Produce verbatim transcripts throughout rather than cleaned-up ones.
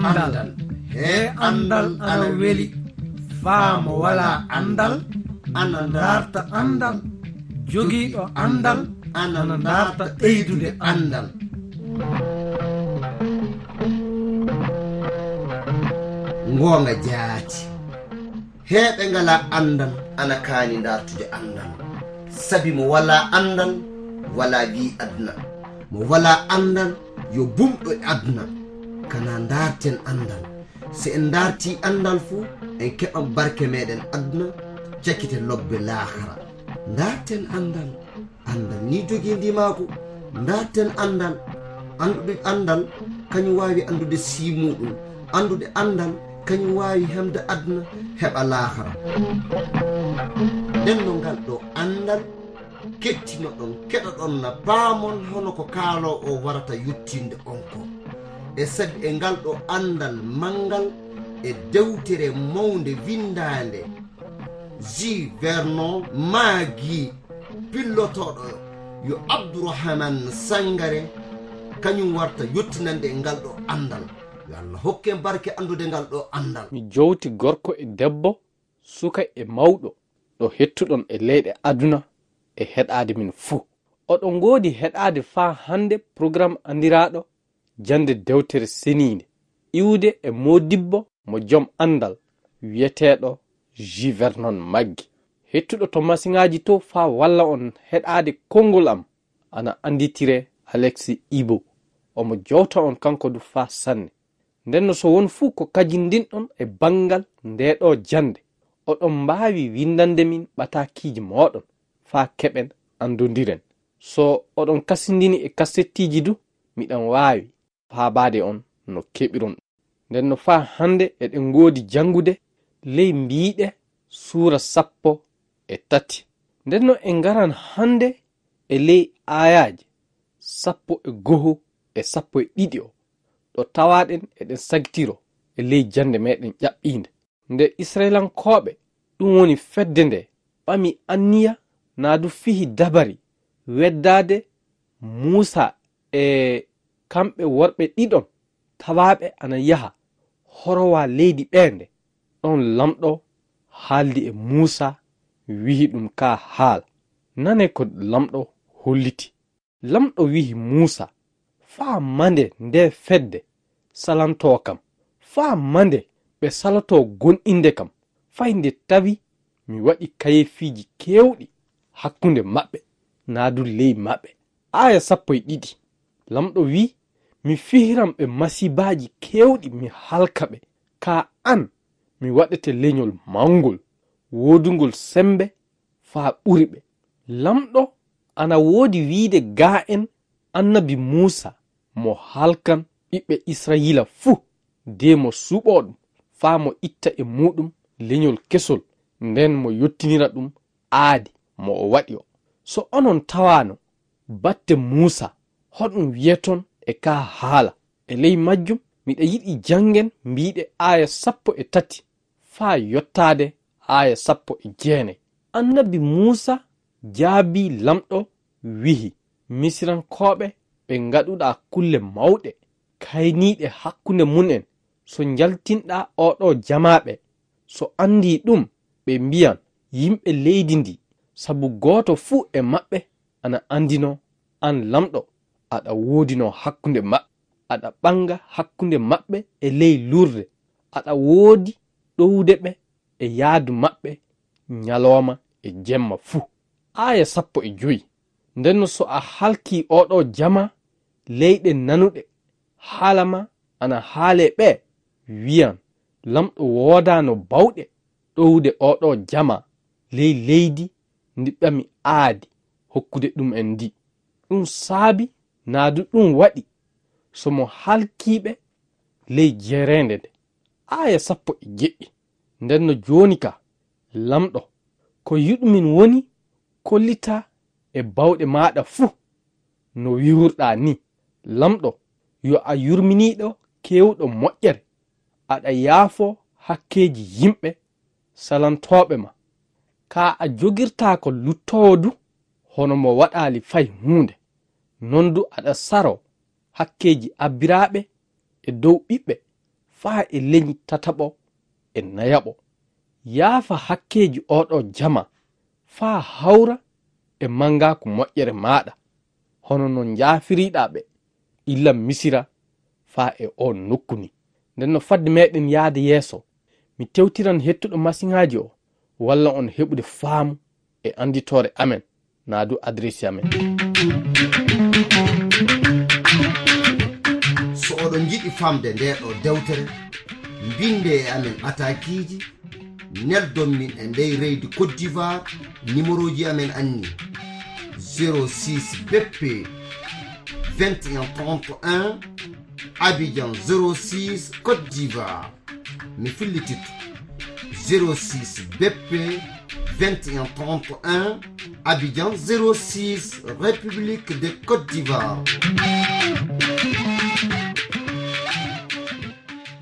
Anndal. He anndal ana weli. Faa mo walaa anndal ana ndaarta anndal. Jogiiɗo anndal ana ndaarta ɓeydude anndal. Ngoonga jaati. Heeɓe ngalaa anndal ana kaani ndaartude anndal. Sabi mo walaa anndal, walaa wiyi aduna. Mo walaa anndal, yo bumɗo e aduna. Kana ndaarten anndal. Si en ndaartii anndal fu, en keɓan barke meɗen aduna, cakite lobbe laakara. Ndaarten anndal. Anndal ni jogii ndimaagu. Ndaarten anndal. Anndude anndal, kañum waawi anndude sii muuɗum. Anndude anndal, kañum waawi hemde aduna, heɓa laakara. Nden no ngal ɗo anndal, kettinoɗon, keɗoɗon na paamon hono ko kaaloowo o warata yottinde on ko. E sabi e ngal ɗo anndal manngal e dewtere mawnde winndaande, Ji Vernon Maggi, pillotooɗo yo Abdourahmane Sangare, kañum warta yottinande e ngal ɗo anndal. Yo Allah hokke en barke anndude ngal ɗo anndal. Mi jowti gorko e debbo, suka e mawɗo, ɗo hettuɗon e leyɗe aduna e heɗaade min fuu. Oɗon ngoodi heɗaade faa hannde programme anndiraaɗo Jannde Dewtere Seniinde, iwde e moodibbo mo jom anndal wiyeteeɗo Ji Vernon Maggi, hettuɗo to masiŋaaji to faa walla on heɗaade konngol am, ana annditiree Alexis Ibo. Omo jowta on kanko du faa sanne. Ndenno so won fuu ko kajindinɗon e banngal ndee ɗoo jannde, oɗon mbaawi winndande min ɓataakiiji mooɗon faa keɓen anndondiren. So oɗon kasindini e kasettiiji du, miɗan waawi faabaade on no keɓiron ɗum. Ndenno faa hannde eɗen ngoodi janngude ley mbiiɗe suura sappo e tati. Ndenno en ngaran hannde e ley aayaaje sappo e goho e sappo e ɗiɗi o, ɗo tawaaɗen eɗen sagitiro e ley jannde meɗen ƴaɓɓiinde. Nde Israyilankooɓe, ɗum woni fedde nde, ɓami anniya naa du fihi dabari weddaade Muusa e kamɓe worɓe ɗiɗon tawaaɓe ana yaha horowa leydi ɓeende, ɗon Lamɗo haaldi e Muusa, wihi ɗum kaa haala. Nane ko Lamɗo holliti. Lamɗo wihi Muusa, faa mande ndee fedde salantoo kam, faa mande ɓe salotoo goonɗinde kam, fay nde tawi mi waɗi kayeefiiji keewɗi hakkunde maɓɓe, naa du ley maɓɓe. Aaya sappo e ɗiɗi, Lamɗo wi'i, mi fihiran ɓe masiibaaji keewɗi, mi halka ɓe. Kaa an, mi waɗete leñol mawngol, woodungol semmbe faa ɓuri ɓe. Lamɗo ana woodi wiide gaa'en annabi Muusa mo halkan ɓiɓɓe Israyiila fuu, de mo suɓoo ɗum, faa mo itta e muuɗum leñol kesol, nden mo yottinira ɗum aadi mo o waɗi o. So onon tawaano batte Muusa, hoɗum wiyeton e kaa haala? E ley majjum, miɗa yiɗi janngen mbiiɗe aaya sappo e tati faa yottaade aaya sappo e jeenay. Annabi Muusa jaabii Lamɗo, wi'i, Misirankooɓe ɓe ngaɗuɗaa kulle mawɗe, kayniiɗe hakkunde mum'en, so njaltinɗaa oo ɗoo jamaa ɓe, so anndii ɗum, ɓe mbiyan yimɓe leydi ndii, sabu gooto fuu e maɓɓe ana anndinoo, aan Lamɗo, aɗa woodinoo hakkunde maɓɓe, aɗa ɓannga hakkunde maɓɓe e ley lurde, aɗa woodi ɗowude ɓe e yaadu maɓɓe ñalooma e jemma fuu. Aaya sappo e joy. Ndenno so a halkii oo ɗoo jamaa, leyɗe nanuɗe haala maa ana haalee ɓee, wiyan, Lamɗo woodaano baawɗe ɗowude oo ɗoo jamaa ley leydi ndi ɓami aadi hokkude ɗum'en ndi. Ɗum saabi naa du ɗum waɗi so mo halkii ɓe ley jereende nde. Aaya sappo e jeɗɗi. Ndenno jooni ka, Lamɗo, ko yiɗumin woni kollitaa e baawɗe maaɗa fuu no wi'urɗaa ni. Lamɗo, yo a yurminiiɗo keewɗo moƴƴere, aɗa yaafoo hakkeeji yimɓe salantooɓe ma. Kaa a jogirtaako luttoowo du hono mo waɗaali fay huunde. Non du aɗa saroo hakkeeji abbiraaɓe e dow ɓiɓɓe faa e leñi tataɓo e nayaɓo. Yaafa hakkeeji oo ɗoo jamaa faa hawra e manngaaku moƴƴere maaɗa, hono no njaafiriɗaa ɓe illa Misira faa e oo nokku nii. Nden no fadde meɗen yaade yeeso, mi tewtiran hettuɗo masiŋaaji o, walla on heɓude faamu e annditoore amen, naa du adresi amen. So oɗon njiɗi famde ndee ɗoo dewtere, mbinde e amen ɓataakiiji, neldon min e ndey reydi Côte d'Ivoire, nimerooji amen anni: zéro six B P vingt et un trente et un, Abidjan zéro six, Côte d'Ivoire. Mi fillititto: zéro six B P vingt et un trente et un, Abidjan zéro six, République de Côte d'Ivoire.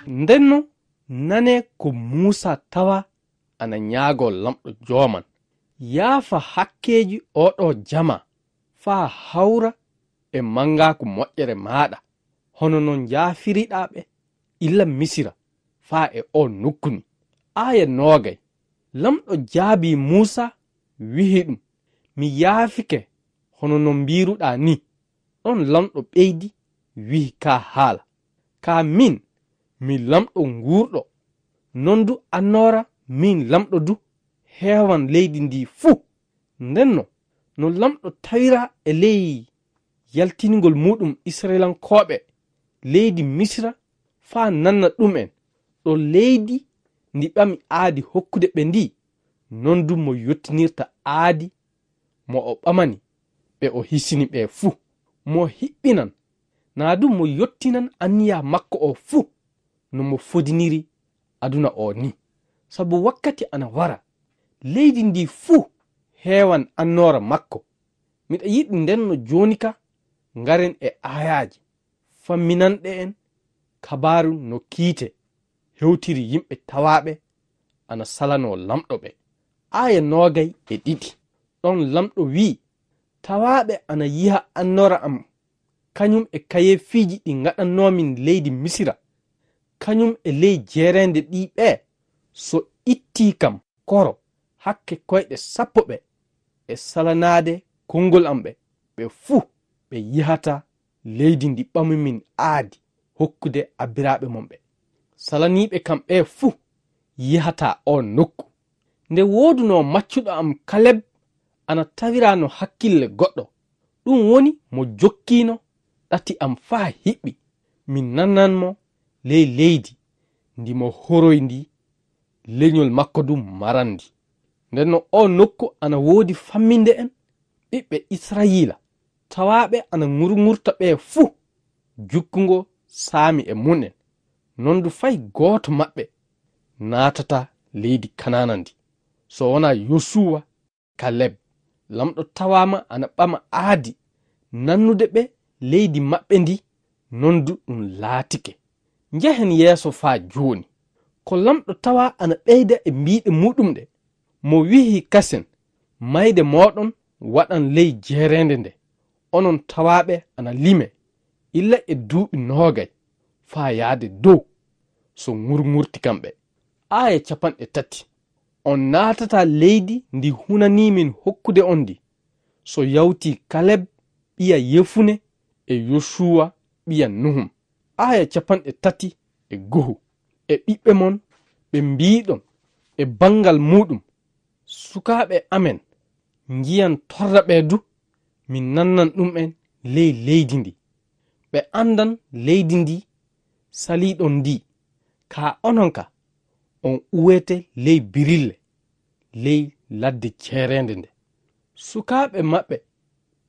Ndenno, nane ko Muusa tawa ana ñaagoo Lamɗo Jooman: Yaafa hakkeeji oo ɗoo jamaa faa hawra e manngaaku moƴƴere maaɗa, hono no njaafiriɗaa ɓe illa Misira faa e oo nokku nii. Aaya noogay. Lamɗo jaabii Muusa, wi'i ɗum: Mi yaafike hono no mbiiruɗaa nii. Ɗon Lamɗo ɓeydi, wi'i kaa haala: Kaa miin, mi Lamɗo nguurɗo, non du annoora miin Lamɗo du heewan leydi ndii fuu. Ndenno, no Lamɗo tawiraa e ley yaltingol muuɗum Isra'ilankooɓe leydi Misira faa nanna ɗum'en ɗo leydi ndi ɓami aadi hokkude ɓe ndii, non du mo yottinirta aadi mo o ɓamani ɓe o hisini ɓe fuu. Mo hiɓɓinan, naa du mo yottinan anniya makko o fuu, no mo fodiniri aduna o nii. Sabu wakkati ana wara, leydi ndii fuu heewan annoora makko. Miɗa yiɗi ndenno jooni ka, ngaren e aayaaje famminanɗe en kabaaru no kiite hewtiri yimɓe tawaaɓe ana salanoo Lamɗo ɓe. Aaya noogay e ɗiɗi. Ɗon Lamɗo wi'i: Tawaaɓe ana yiha annoora am, kañum e kayeefiiji ɗi ngaɗannoomi leydi Misira, kañum e ley jeereende ɗii ɓee, so ittii kam koro hakke koyɗe sappo ɓe e salanaade konngol am ɓe, ɓe fuu ɓe yihataa leydi ndi ɓamumin aadi hokkude abbiraaɓe mon ɓe. Salaniiɓe kam ɓee fuu yihataa oon nokku. Nde woodunoo maccuɗo am Kaleb ana tawiraa no hakkille goɗɗo, ɗum woni mo jokkiino ɗati am faa hiɓɓi, mi nanan mo ley leydi ndi mo horoy ndi leñol makko du marandi. Ndenno oo nokku ana woodi famminde en ɓiɓɓe Israyiila, tawaaɓe ana ŋurŋurta ɓe fuu jukkungo saami e mum'en. Non du fay gooto maɓɓe naatataa leydi Kanaana ndi, so wonaa Yosuwa, Kaleb. Lamɗo tawaama ana ɓama aadi nannude ɓe leydi maɓɓe ndi, non du ɗum laatike. Njehen yeeso faa jooni. Ko Lamɗo tawa ana ɓeyda e mbiiɗe muuɗum ɗe, mo wi'i kasen: Mayde mooɗon waɗan ley jeereende nde, onon tawaaɓe ana lime, illa e duuɓi noogay faa yaade dow, so ŋurŋurti kam ɓe. Aaya capanɗe tati. On naatataa leydi ndi hunanii min hokkude on ndi, so yawtii Kaleb ɓiya Yefune e Yosuwa ɓiya Nuhum. Aaya capanɗe tati e go'o. E ɓiɓɓe mon ɓe mbiiɗon e banngal muuɗum: Sukaaɓe amen njiyan torra ɓe du, min nannan ɗum'en ley leydi ndi. Ɓe anndan leydi ndi saliiɗon ndi, kaa onon ka, on uwete ley birille, ley ladde ceereende nde. Sukaaɓe maɓɓe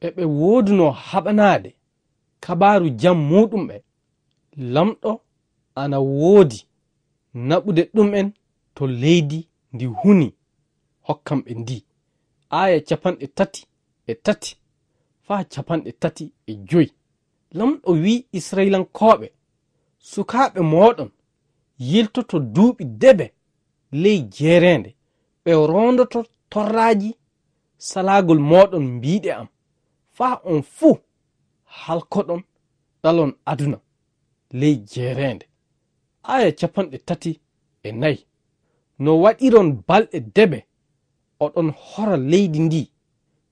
ɓe ɓe woodunoo haɓanaade kabaaru jam muuɗum ɓe, Lamɗo ana woodi naɓude ɗum'en to leydi ndi hunii hokkan ɓe ndi. Aaya capanɗe tati e tati faa capanɗe tati e joy. Lamɗo wi'i Israyilankooɓe: Sukaaɓe mooɗon yiltoto duuɓi debe ley jeereende, ɓe roondoto torraaji salaagol mooɗon mbiiɗe am, faa on fuu halkoɗon ɗalon aduna ley jeereende. Aya capanɗe tati e nayi. No waɗiron balɗe debe, oɗon hora leydi ndi,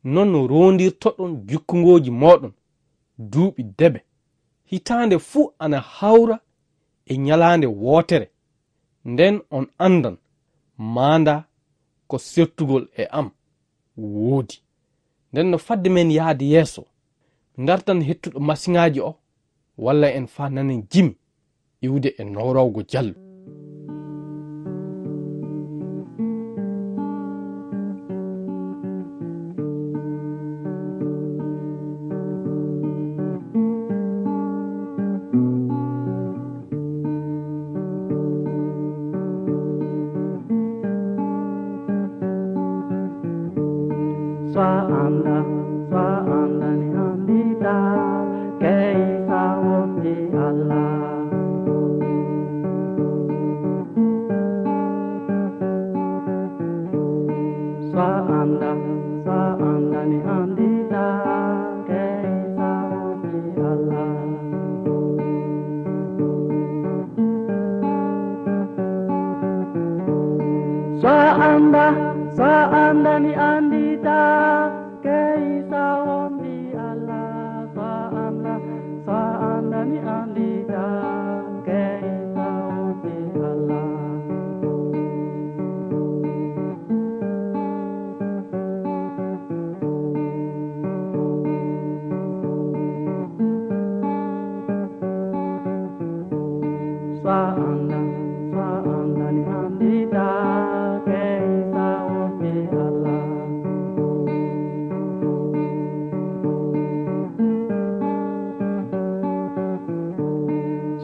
non no rondirtoɗon jukkungooji mooɗon duuɓi debe. Hitaande fuu ana hawra e ñalaande wootere, nden on anndan maanda ko sertugol e am woodi. Nden no fadde men yaade yeeso, mi dartan hettuɗo masiŋaaji o, walla en faa nanen jimi iwde e nowrawgo jallu. Sa anda, sa anda ni andita, ke isa wonti Allah. Sa anda, sa anda ni andita, ke isa wonti Allah. Sa anda, sa anda ni andita, ke isa wonti Allah. Sa anda, sa anda ni andita, ke isa wonti Allah. Sa anda, sa anda ni andita, ke isa wonti Allah.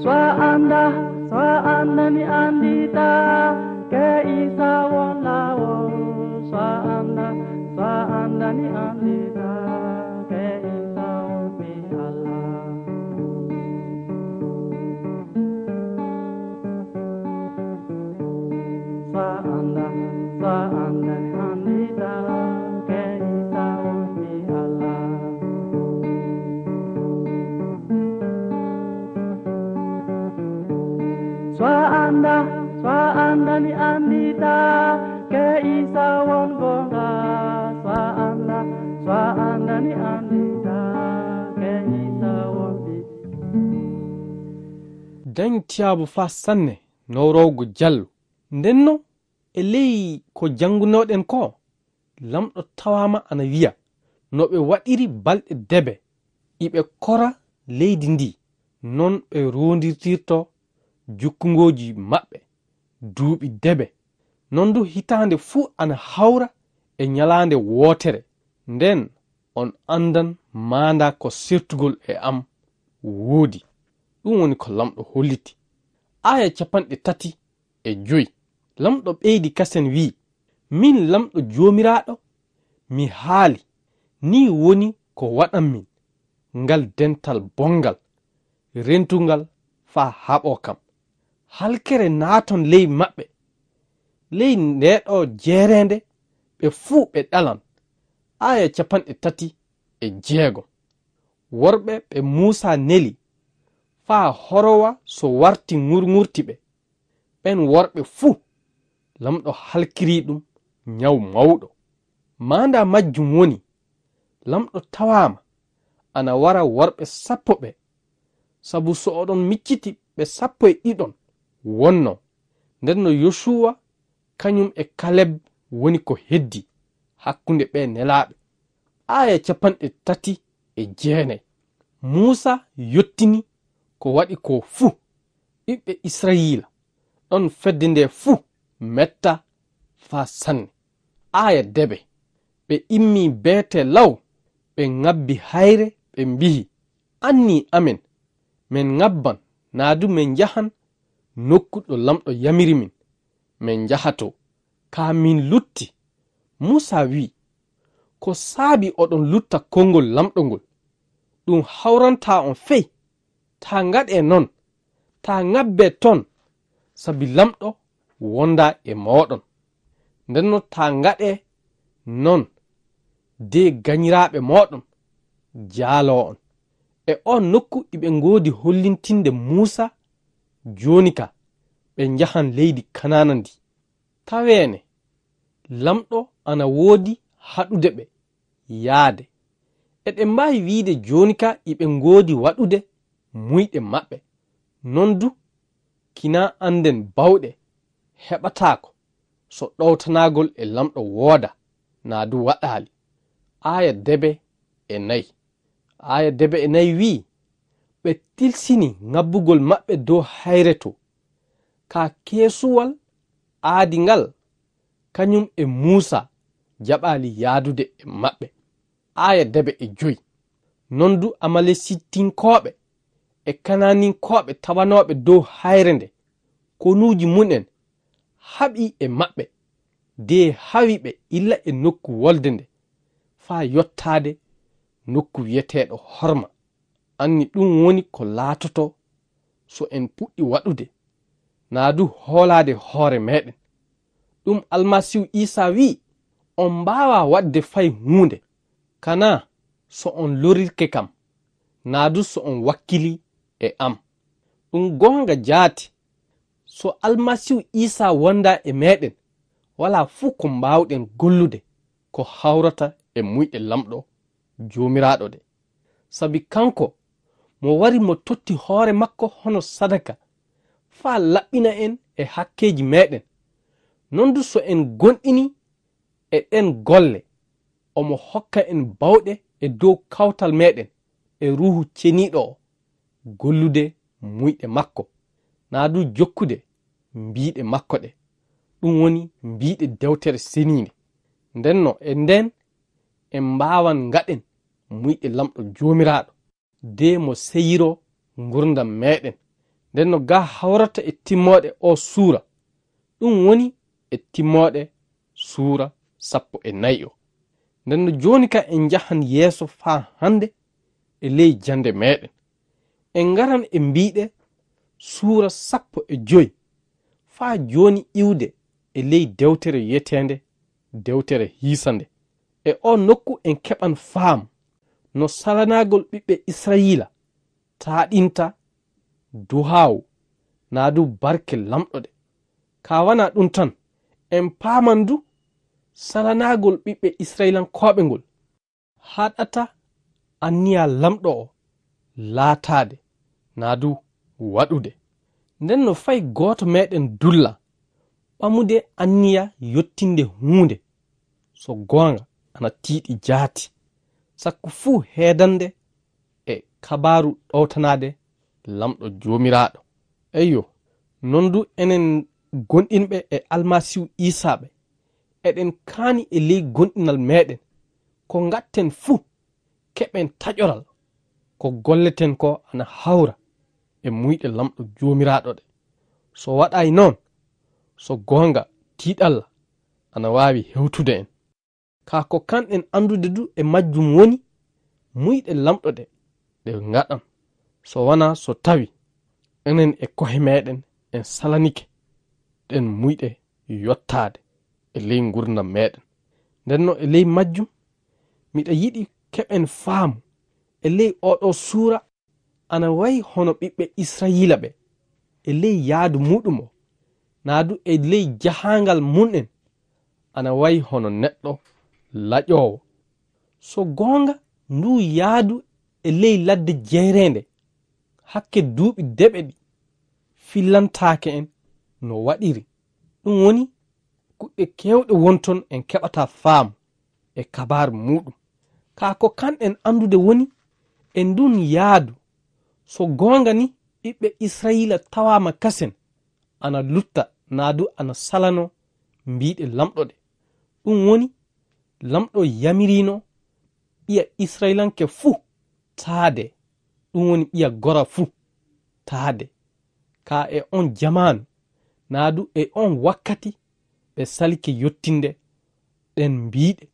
Sa anda, sa anda ni andita, ke isa won lawo. Sa anda, sa anda ni andita, ke isa wonti Allah. Sa anda, sa anda ni andita, ke isa wonti Allah. Sa anda, sa anda ni andita, ke isa won gonga. Sa anda, sa anda ni andita, ke isa wonti. Dañ tiyaabu faa sanne nowrowgo jallu. Ndenno, e ley ko janngunoɗen ko, Lamɗo tawaama ana wiya, no ɓe waɗiri balɗe debe, iɓe kora leydi ndi, non ɓe rondirtirto jukkungooji maɓɓe duuɓi debe. Non du hitaande fuu ana hawra e ñalaande wootere, nden on anndan maanda ko sertugol e am woodi. Ɗum woni ko Lamɗo holliti. Aaya capanɗe tati e joy. Lamɗo ɓeydi kasen wi'i, min Lamɗo Joomiraaɗo, mi haali, nii woni ko waɗan min ngal dental bonngal, rentungal faa haɓoo kam. Halkere naaton ley maɓɓe, ley ndee ɗoo jeereende ɓe fuu ɓe ɗalan. Aaya capanɗe tati e jeego. Worɓe ɓe Muusaa neli faa horowa so warti ŋurŋurti ɓe. Ɓen worɓe fuu, Lamɗo halkiri ɗum ñaw mawɗo. Maandaa majjum woni, Lamɗo tawaama ana wara worɓe sappo ɓe, sabu so oɗon micciti ɓe sappo e ɗiɗon wonnoo. Nden no Yosuwa kañum e Kaleb woni ko heddii hakkunde ɓee nelaaɓe. Aaya capanɗe tati e jeenay. Muusaa yottini ko waɗi koo fuu. Ɓiɓɓe Israyiila ɗon fedde ndee fuu metta faa sanne. Aaya debe. Ɓe immii beetee law, ɓe ŋabbi hayre, ɓe mbi'i, "Annii amen, men ŋabban, naa du men njahan nokku ɗo Lamɗo yamiri min, men njaha too. Kaa min lutti." Muusaa wi'i, "Ko saabi oɗon lutta konngol Lamɗo ngol? Ɗum hawrantaa on fey. Taa ngaɗee non. Taa ŋabbee ton, sabi Lamɗo wondaa e mooɗon. Ndenno taa ngaɗee non, de ganyiraaɓe mooɗon jaaloo on." E oon nokku iɓe ngoodi hollintinde Muusaa jooni ka, ɓe njahan leydi Kanaana ndi. Taweene, Laamɗo ana woodi haɗude ɓe yaade. Eɗen mbaawi wiyde jooni ka iɓe ngoodi waɗude muyɗe maɓɓe. Non du, kinaa annden bawɗe heɓataako so ɗowtanagol e Laamɗo wooda, naa du waɗaali. Aaya debe e nayi. Aaya debe e nayi wi'i, ɓe tilsini ŋabbugol maɓɓe dow hayre to. Ka keesuwal aadi ngal, kañum e Muusa jaɓaali yaadude e maɓɓe. Aaya debe e joyi. Non du Amalesitinkooɓe e Kanaaninkooɓe tawanooɓe dow hayre nde, konuuji mum en haɓi e maɓɓe, de hawi ɓe illa e nokku wolde nde, faa yottaade nokku wi'eteeɗo Horma. Anni ɗum woni ko laatoto so en puɗɗi waɗude, naa du hoolaade hoore meɗen. Ɗum Almasiihu Iisaa wi'i, on mbaawaa waɗde fay huunde, kanaa so on lorirke kam, naa du so on wakkilii e am. Ɗum goonga jaati, so Almasiihu Iisaa wondaa e meɗen, walaa fuu ko mbaawɗen gollude ko hawrata e muyɗe Laamɗo Joomiraaɗo ɗe. Sabi kanko mo wari mo totti hoore makko hono sadaka, faa laɓɓina en e hakkeeji meɗen. Non du so en goonɗini e ɗen golle, omo hokka en bawɗe e dow kawtal meɗen e Ruuhu Ceniiɗo o, gollude muyɗe makko, naa du jokkude mbiiɗe makko ɗe, ɗum woni mbiiɗe dewtere seniinde. Ndenno e nden en mbaawan ngaɗen muyɗe Laamɗo Joomiraaɗo, de mo seyiroo ngurndan meɗen. Ndenno ga hawrata e timmooɗe o suura, ɗum woni e timmooɗe suura sappo e nayi o. Ndenno jooni ka en njahan yeeso faa hannde e ley jannde meɗen. En ngaran e mbiiɗe suura sappo e joy faa jooni iwde e ley dewtere wi'eteende dewtere hiisande. E o nokku en keɓan faamu no salanaagol ɓiɓɓe Israyiila taaɗinta duhaawu naa du barke Laamɗo ɗe. Ka wanaa ɗum tan, en paaman du salanaagol ɓiɓɓe Israyilankooɓe ngol haɗata anniya Laamɗo o laataade naa du waɗude. Nden no fay gooto meɗen dulla ɓamude anniya yottinde huunde so goonga ana tiiɗi jaati, sakko fuu heedande e kabaaru ɗowtanaade Laamɗo Joomiraaɗo. Eyyo, non du enen gonɗinɓe e Almasiihu Iisaa ɓe, eɗen kaani e ley gonɗinal meɗen, ko ngatten fuu, keɓen taƴoral, ko golleten ko ana hawra e muyɗe Laamɗo Joomiraaɗo ɗe. So waɗaay noon, so goonga, tiiɗalla ana waawi hewtude en. Kaa ko kanɗen anndude du e majjum woni muyɗe Laamɗo ɗe, ɗe ngaɗan, so wanaa so tawi enen e ko'e meɗen en salanike ɗen muyɗe yottaade e ley ngurndan meɗen. Ndenno e ley majjum, miɗa yiɗi keɓen faamu e ley oɗo suura ana wayi hono ɓiɓɓe Israyiila ɓe, e ley yaadu muuɗum o, naa du e ley jahaangal mum'en, ana wayi hono neɗɗo laƴoowo. So goonga, nduu yaadu e ley ladde jeereende, hakke duuɓi deɓe ɗi, fillantaake en no waɗiri. Ɗum woni, kuɗɗe keewɗe won ton en keɓataa faamu e kabaaru muuɗum. Kaa ko kanɗen anndude woni e ndun yaadu, so goonga ni ɓiɓɓe Israyiila tawaama kasen, ana lutta naa du ana salanoo mbiiɗe Laamɗo ɗe. Ɗum woni, Laamɗo yamiriino ɓiya Israyilanke fuu taade, ɗum woni ɓiya gora fuu taade. Kaa e on jamaanu, naa du e on wakkati ɓe salike yottinde ɗen mbiiɗe.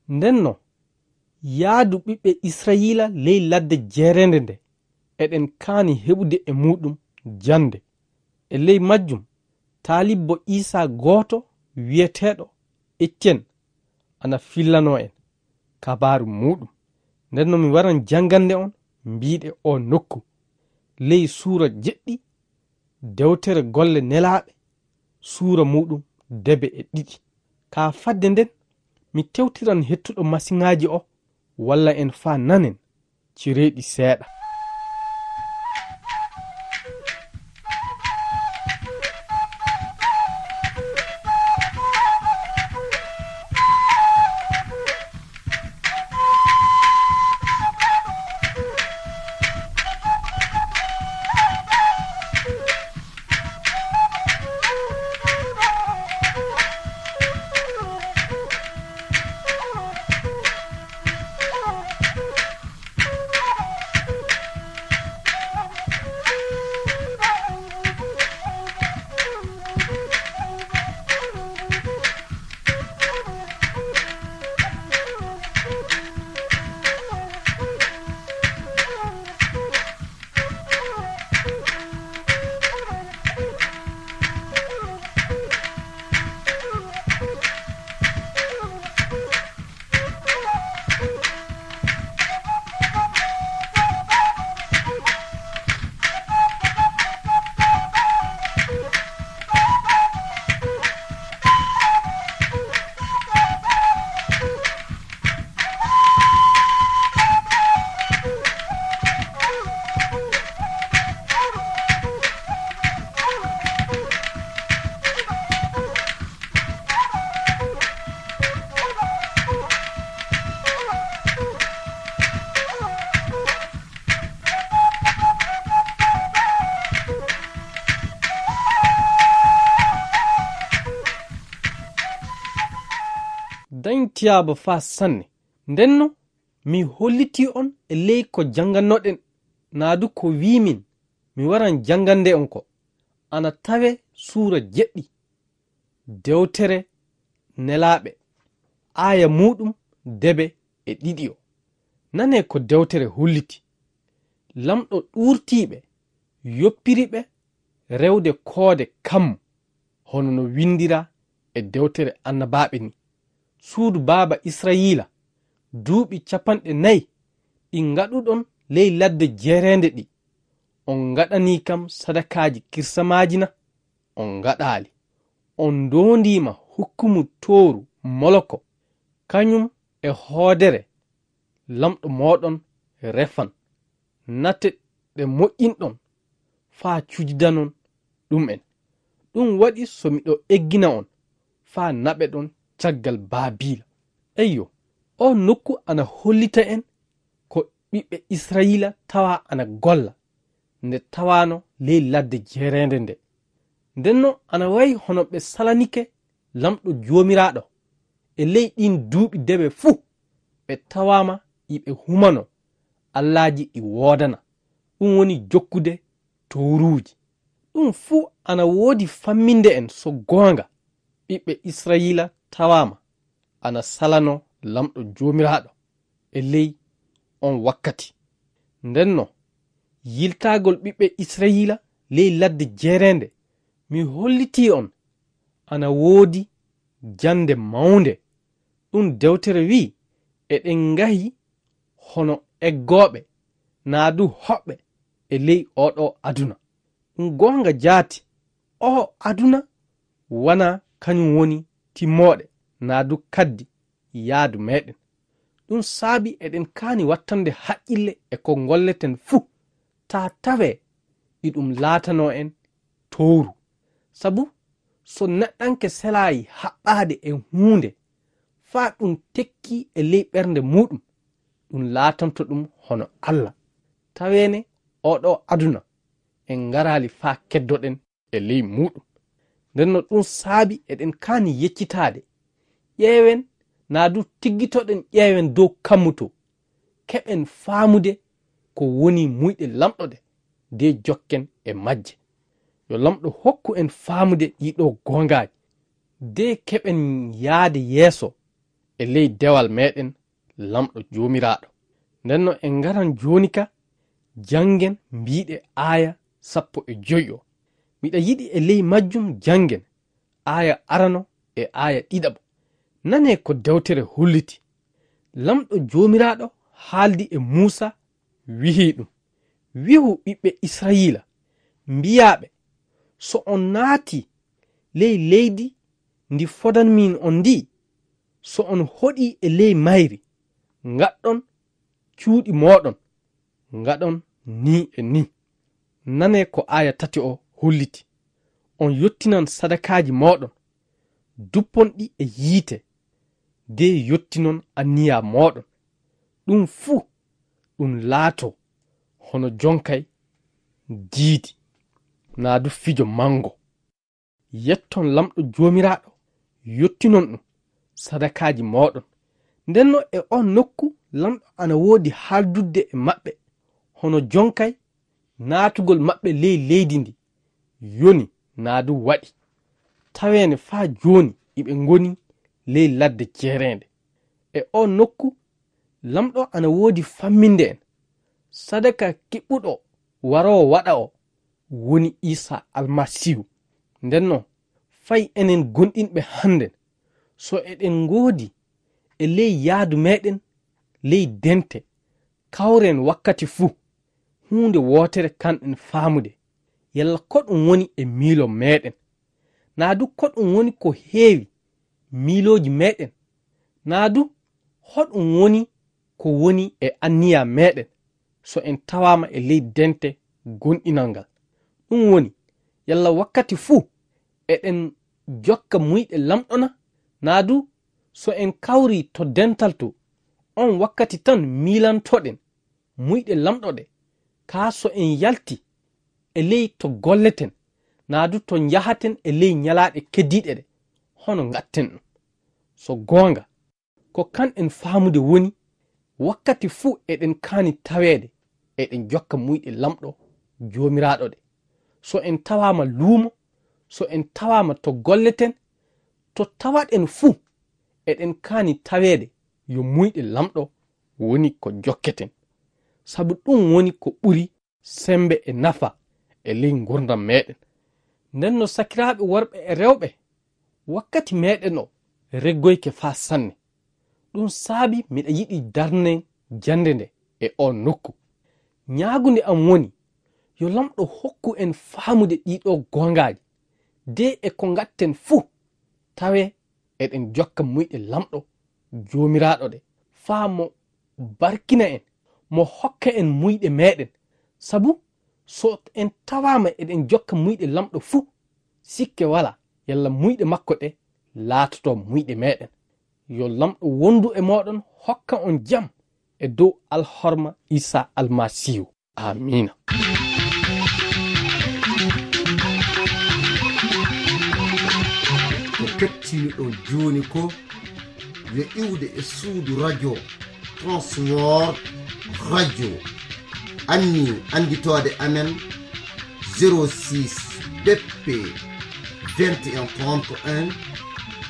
Ndenno, yaadu ɓiɓɓe Israyiila ley ladde jeereende nde, eɗen kaani heɓude e muuɗum jannde. E ley majjum, taalibbo Iisaa gooto wi'eteeɗo Eccen ana fillanoo en kabaaru muuɗum. Ndenno mi waran janngande on mbiiɗe oo nokku, ley suura jeɗɗi, Dewtere Golle Nelaaɓe, suura muuɗum debe e ɗiɗi. Ka fadde nden, mi tewtiran hettuɗo masiŋaaji o, walla en faa nanen, cireeɗi seeɗa. Dañ tiyaaba faa sanne. Ndenno, mi hollitii on e ley ko janngannoɗen, naa du ko wiimin mi waran janngande on ko. Ana tawee suura jeɗɗi, dewtere Nelaaɓe, aaya muuɗum debe e ɗiɗi o. Nanee ko dewtere holliti. Lamɗo ɗuurtiiɓe yoppiri ɓe rewde koode kammu, hono no winndiraa e dewtere annabaaɓe ni. Suudu baaba Israyiila, duuɓi capanɗe nayi ɗi ngaɗuɗon ley ladde jeereende ɗi, on ngaɗanii kam sadakaaji kirsamaaji na? On ngaɗaali. On ndoondiima hukkumu tooru Moloko, kañum e hoodere lamɗo mooɗon Refan. Nate ɗe moƴƴinɗon faa cujidanon ɗum'en. Ɗum waɗi so miɗo eggina on faa naɓeɗon caggal Baabiila. Eyyo, oo nokku ana hollita en ko ɓiɓɓe Israyiila tawaa ana golla nde tawaano ley ladde jeereende nde. Ndenno ana wayi hono ɓe salanike Lamɗo Joomiraaɗo. E ley ɗiin duuɓi debe fuu, ɓe tawaama iɓe humanoo allaaji ɗi woodana, ɗum woni jokkude tooruuji. Ɗum fuu ana woodi famminde en so goonga ɓiɓɓe Israyiila tawaama ana salanoo Lamɗo Joomiraaɗo e ley oon wakkati. Ndenno, yiltaagol ɓiɓɓe Israyiila ley ladde jeereende, mi hollitii on ana woodi jannde mawnde. Ɗum dewtere wi'i, eɗen ngahi hono eggooɓe, naa du hoɓɓe e ley oo ɗoo aduna. Ɗum goonga jaati, oo aduna wanaa kañum woni timmooɗe, naa du kaddi yaadu meeɗen. Ɗum saabi eɗen kaani wattande haqqille e ko ngolleten fuu, taa tawee iɗum laatanoo en towru. Sabu so neɗɗanke selaayi haɓɓaade e huunde, faa ɗum tekkii e ley ɓernde muuɗum, ɗum laatanto ɗum hono Alla. Taweene oo ɗoo aduna en ngaraali faa keddoɗen e ley muuɗum. Ndenno ɗum saabi eɗen kaani yeccitaade. Ƴeewen, naa du tiggitoɗen ƴeewen dow kammu to, keɓen faamude ko woni muyɗe Lamɗo ɗe, de jokken e majje. Yo Lamɗo hokku en faamude ɗii ɗoo goongaaji, de keɓen yaade yeeso e ley dewal meeɗen Lamɗo Joomiraaɗo. Ndenno en ngaran jooni ka, janngen mbiiɗe aaya sappo e joy o. Miɗa yiɗi e ley majjum janngen aaya arano e aaya ɗiɗaɓo. Nanee ko dewtere holliti. Lamɗo Joomiraaɗo haaldi e Muusaa, wi'i ɗum, wi'u ɓiɓɓe Israyiila, mbi'aa ɓe, So on naati ley leydi ndi fodanmi on ndi, so on hoɗi e ley mayri, ngaɗɗon cuuɗi mooɗon, ngaɗon ni e ni. Nanee ko aaya tati o holliti. On yottinan sadakaaji mooɗon, duppon ɗi e yiite, de yottinon anniya mooɗon. Ɗum fuu ɗum laatoo hono jonkay diidi, naa du fijo manngo. Yetton Laamɗo Joomiraaɗo, yottinon ɗum sadakaaji mooɗon. Ndenno e oon nokku Laamɗo ana woodi haaldudde e maɓɓe, hono jonkay naatugol maɓɓe ley leydi ndi yoni naa du waɗi. Taweene faa jooni iɓe ngoni ley ladde jeereende. E oon nokku Laamɗo ana woodi famminde en. Sadaka kiɓɓuɗo waroowo waɗa o woni Iisaa Almasiihu. Ndenno, fay enen gonɗinɓe hannden, so eɗen ngoodi e ley yaadu meeɗen ley dente, kawren wakkati fuu huunde wootere kanɗen faamude, yalla ko ɗum woni e miilo meeɗen, naa du ko ɗum woni ko heewi miilooji meeɗen, naa du hoɗum woni ko woni e anniya meeɗen, so en tawaama e ley dente gonɗinal ngal. Ɗum woni, yalla wakkati fuu eɗen jokka muyɗe Laamɗo na, naa du so en kawrii to dental to, oon wakkati tan miilantoɗen muyɗe Laamɗo ɗe, kaa so en yalti e ley to golleten, naa du to njahaten e ley ñalaaɗe keddiiɗe ɗe, hono ngaɗten ɗum. So goonga, ko kanɗen faamude woni, wakkati fuu eɗen kaani taweede eɗen jokka muyɗe Laamɗo Joomiraaɗo ɗe. So en tawaama luumo, so en tawaama to golleten, to tawaɗen fuu, eɗen kaani taweede yo muyɗe Laamɗo woni ko jokketen. Sabu ɗum woni ko ɓuri semmbe e nafa e ley ngurndan meeɗen. Nden no sakiraaɓe worɓe e rewɓe, wakkati meeɗen o reggoyke faa sanne. Ɗum saabi miɗa yiɗi darnen jannde nde e oo nokku. Ñaagunde am woni, yo Laamɗo hokku en faamude ɗiɗo goongaaji, de e ko ngaɗten fuu, tawe eɗen jokka muyɗe Laamɗo Joomiraaɗo ɗe, faa mo barkina en, mo hokka en muyɗe meeɗen. Sabu so en tawaama eɗen jokka muyɗe Laamɗo fuu, sikke walaa, yalla muyɗe makko ɗe laatoto muyɗe meeɗen. Yo Laamɗo wondu e mooɗon, hokka on jam e dow alhorma Iisaa Almasiihu. Aamiina. Ko kettiniɗon jooni ko yo iwde e suudu radio Transworld Radio. Anni annditoode amen zéro six B P vingt et un trente et un,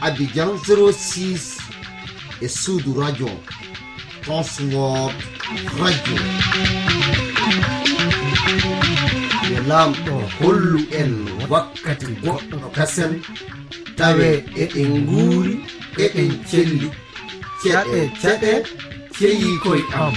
Abidjan zéro six e suudu radio Transworld Radio. Yo Laamɗo hollu en wakkati goɗɗo kasen, tawe eɗen nguuri, eɗen celli. Ceɗe, ceɗe, ceyi koy am.